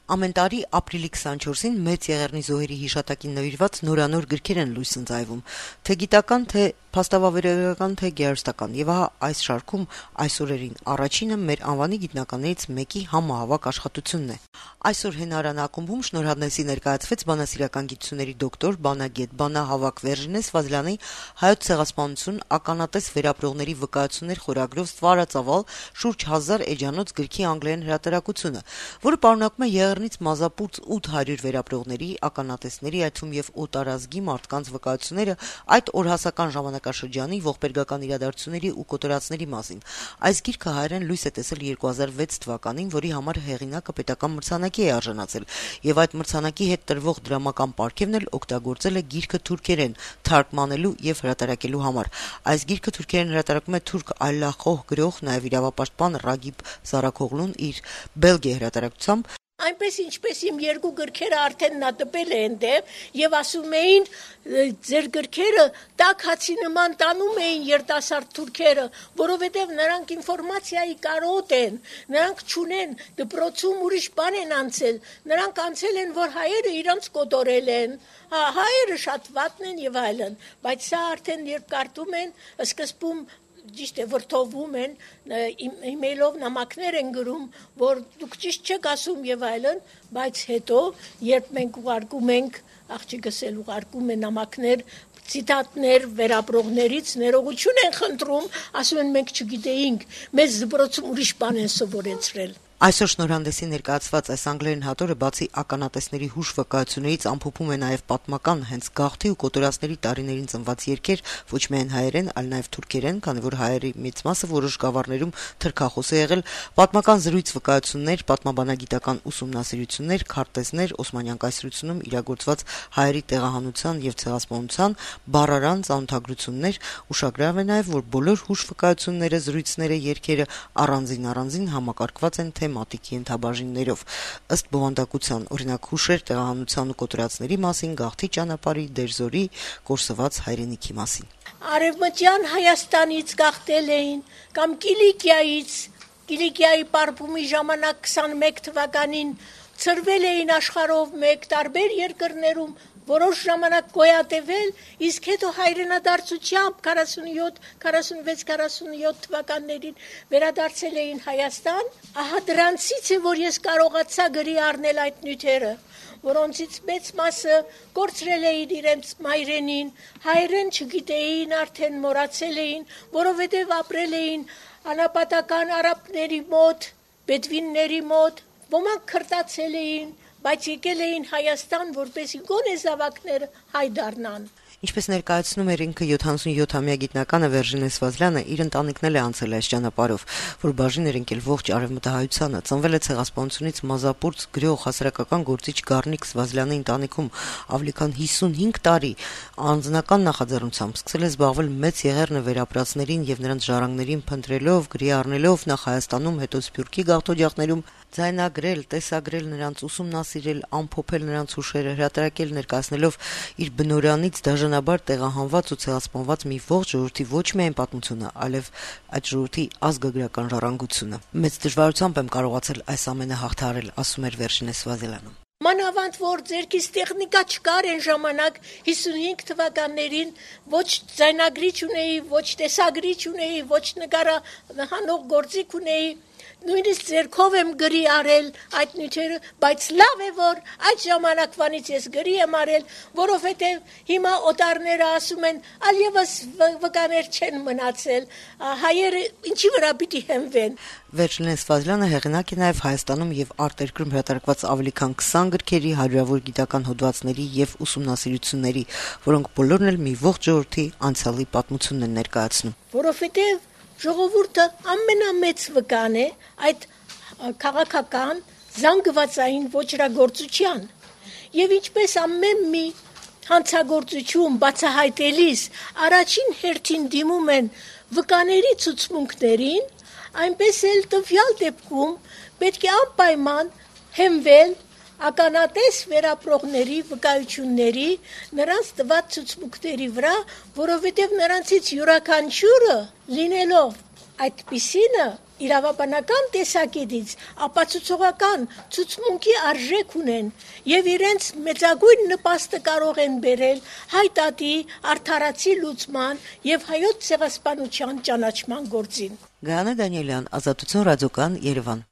Ամեն տարի ապրիլի 24-ին Մեծ Եղեռնի զոհերի հիշատակին նվիրված նորանոր գրքեր են լույս ընծայվում, թե գիտական, թե փաստավավերական, թե գեղարվեստական, եւ ահա այս շարքում այս օրերին առաջինը մեր անվանի գիտնականներից մեկի համահավաք աշխատությունն է։ Այսօր Հենարան ակումբում շնորհանդեսի ներկայացվեց բանասիրական գիտությունների դոկտոր, բանագետ, բանահավաք Վերժինե Սվազլյանի «Հայոց ցեղասպանություն, ականատես վերապրողների վկայություններ» խորագրով ստվարածավալ շուրջ 1000 էջանոց գրքի անգլերեն հրատարակությունը, որը պարունակում է Եղեռնից մազապուրծ 800 վերապրողների, ականատեսների, այդ թվում եւ օտարազգի մարդկանց վկայությունները այդ օրհասական ժամանակաշրջանի ողբերգական իրադարձությունների ու կոտորածների մասին։ Այս գիրքը հայերեն լույս է տեսել 2006 թվականին, որի համար հեղինակը պետական մրցանակի է արժանացել, եւ այդ մրցանակի հետ տրվող դրամական պարգևն էլ օգտագործել է գիրքը թուրքերեն թարգմանելու եւ հրատարակելու համար։ Այս գիրքը թուրքերեն հրատարակում է թուրք այլախոհ գրող, նաեւ իրավապաշտպան Ռագիբ Զարաքօղլուն իր Բելգիա հրատարակությամբ։ Այնպես ինչպես իմ երկու գրքերը արդեն նա տպել է այնտեղ եւ ասում էին ձեր գրքերը տաք հացի նման տանում էին երիտասարդ թուրքերը, որովհետեւ նրանք ինֆորմացիայի կարոտ են, նրանք չունեն դպրոցում ուրիշ բան են անցել, նրանք անցել են, որ հայերը իրանց կոտորել են, հայերը շատ վատն են եւ այլն, բայց սա արդեն երբ կարդում են, սկզբում ճիշտ է վրթովում են, իմեյլով նամակներ են գրում, որ դուք ճիշտ չեք ասում եւ այլն, բայց հետո երբ մենք ուղարկում ենք, աղջիկս էլ ուղարկում է նամակներ, ցիտատներ վերապրողներից, ներողություն են խնդրում, ասում են մենք չգիտեինք, մեզ դպրոցում ուրիշ բան են սովորեցրել։ Այսօր շնորհանդեսի ներկայացված այս անգլերեն հատորը բացի ականատեսների հուշ վկայություններից ամփոփում է նաև պատմական հենց գաղթի ու կոտորածների տարիներին ծնված երգեր, ոչ միայն հայերեն, այլ նաև թուրքերեն, քանի որ հայերի մեծ մասը որոշ գավառներում թրքախոս է եղել, պատմական զրույց վկայություններ, պատմաբանագիտական ուսումնասիրություններ, քարտեզներ, Օսմանյան կայսրությունում իրագործված հայերի տեղահանության եւ ցեղասպանության, բառարան ծանոթագրություններ, ուշագրավ է նաև, որ բոլոր հուշ վկայությունները, զրույցները, երգերը առանձին համակարգված են թեմատիկի ենթաբաժիններով, ըստ բովանդակության, օրինակ հուշեր տեղահանության ու կոտորածների մասին, գաղթի ճանապարհի, դերձորի, կորսված հայրենիքի մասին։ Արևմտյան Հայաստանից գաղթել էին կամ Կիլիկիայի պարբումի ժամանակ 21 թվականին ծրվել էին աշխարհով մեկ տարբեր երկրներում, որոշ ժամանակ գոյատևել, իսկ հետո հայրենադարձությամբ 46-47 թվականներին վերադարձել էին Հայաստան, ահա դրանցից է, որ ես կարողացա գրի առնել այդ նյութերը, որոնցից մեծ մասը կորցրել էին իրենց մայրենին, հայերեն չգիտեին, արդեն մոռացել էին, որովհետև ապրել էին անապատական արաբների մոտ, բեդվինների մոտ, ոմանք քրտացել էին, բայց եկել էին Հայաստան, որպեսզի գոնե զավակները հայ դառնան։ Ինչպես ներկայացնում էր ինքը 77-ամյա գիտնականը Վերժինե Սվազլյանը, իր ընտանիքն էլ է անցել այս ճանապարհով, որ բաժին էր ընկել ողջ արևմտահայությանը, ծնվել է ցեղասպանությունից մազապուրծ գրող հասարակական գործիչ Գառնիկ Սվազլյանի ընտանիքում, ավելի քան 55 տարի անձնական նախաձեռնությամբ սկսել է զբաղվել Մեծ Եղեռնը վերապրածներին եւ նրանց ժառանգներին փնտրելով, գրի առնելով նախ Հայաստանում, հետո Սփյուռքի գաղթօջախներում, ձայնագրել, տեսագրել նրանց, ուսումնասիրել, ամփոփել նրանց հուշերը, հրատարակել, ներկայացնելով իր բնօրանից դաժանաբար տեղահանված ու ցեղասպանված մի ողջ ժողովրդի ոչ միայն պատմությունը, այլև այդ ժողովրդի ազգագրական ժառանգությունը։ Մեծ դժվարությամբ եմ կարողացել այս ամենը հաղթահարել, ասում էր Վերժինե Սվազլյանը։ Մանավանդ որ ձերքից տեխնիկա չկար այն ժամանակ 55 թվականներին, ոչ ձայնագրիչ ունեի, ոչ տեսագրիչ ունեի, ոչ նկարահանող գործիք ունեի, նույնիսկ ձերքով եմ գրի արել այդ նյութերը, բայց լավ է որ այդ ժամանակվանից ես գրի եմ արել, որովհետև հիմա օտարները ասում են, այլևս վկաներ չեն մնացել, հայերը ինչի վրա պիտի հենվեն։ Վերջինե Սվազլյանը հեղինակ է նաև Հայաստանում եւ արտերկրում հրատարակված ավելի քան 20 գրքերի, հարյուրավոր գիտական հոդվածների եւ ուսումնասիրությունների, որոնք բոլորն էլ մի ողջ ժողովրդի անցյալի պատմությունն են ներկայացնում։ Որովհետև ժողովուրդը ամենամեծ վկան է այդ քաղաքական զանգվածային ոճրագործության եւ ինչպես ամեն մի հանցագործություն բացահայտելիս առաջին հերթին դիմում են վկաների ցուցմունքներին, այնպես էլ տվյալ դեպքում պետք է անպայման հենվել ականատես վերապրողների վկայությունների, նրանց տված ցուցմունքների վրա, որովհետև նրանցից յուրաքանչյուրը լինելով Այդպիսինը իրավաբանական տեսակետից ապացուցողական ցուցմունքի արժեք ունեն եւ իրենց մեծագույն նպաստը կարող են բերել հայտատի արդարացի լուծման եւ հայոց ցեղասպանության ճանաչման գործին։ Գայանե Դանիելյան, Ազատություն ռադիոկան, Երևան։